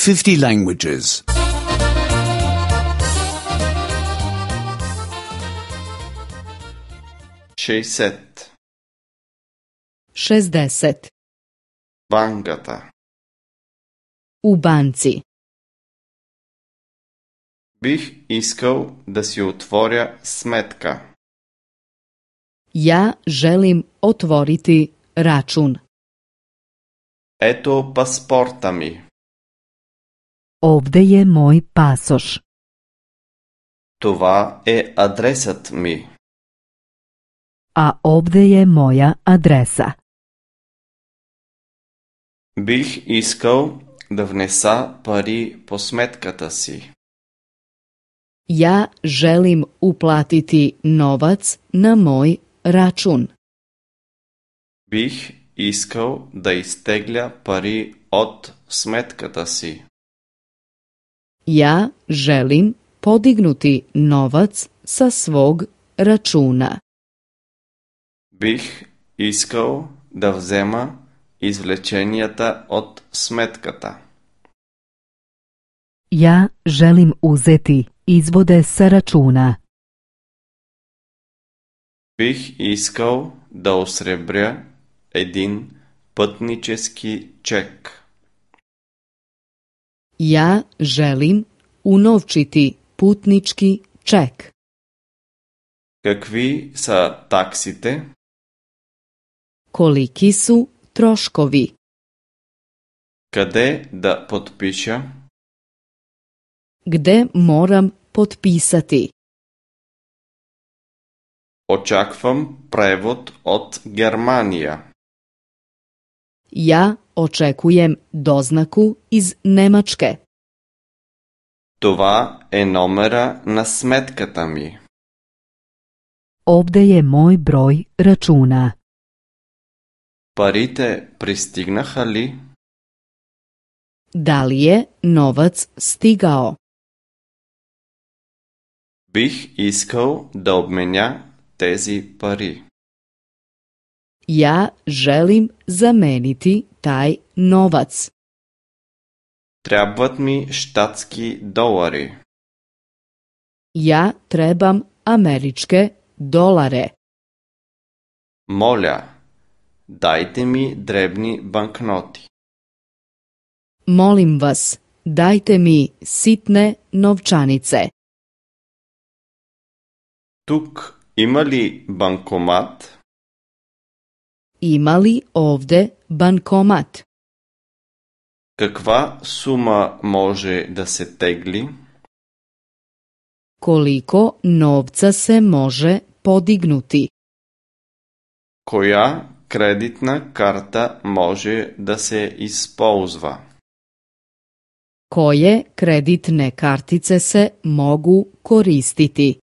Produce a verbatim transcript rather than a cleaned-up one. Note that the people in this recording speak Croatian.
fifty languages. šezdeset. šezdeset. Банката. U banci. Бих искал да си отворя сметка. Ja želim otvoriti račun. Ето паспорта ми. Ovde je moj pasoš. Това е адресът ми. A ovde je moja adresa. Бих искал да внеса пари по сметката си. Ja želim uplatiti novac na moj račun. Бих искал да изтегля пари от сметката си. Ja želim podignuti novac sa svog računa. Бих искал да взема извлеченията от сметката. Ja želim uzeti izvode sa računa. Бих искал да осребря един пътнически чек. Ja želim unovčiti putnički ček. Какви са таксите? Koliki su troškovi? Къде да подпиша? Gde moram potpisati? Очаквам превод от Германия. Ja očekujem doznaku iz Nemačke. Това е номера на сметката ми. Ovde je moj broj računa. Парите пристигнаха ли? Da li je novac stigao? Бих искал да обменя тези пари. Ja želim zameniti taj novac. Трябват ми щатски долари. Ja trebam američke dolare. Моля, дайте ми дребни банкноти. Molim vas, dajte mi sitne novčanice. Тук има ли банкомат? Ima li ovde bankomat? Каква сума може да се тегли? Koliko novca se može podignuti? Коя кредитна карта може да се използва? Koje kreditne kartice se mogu koristiti?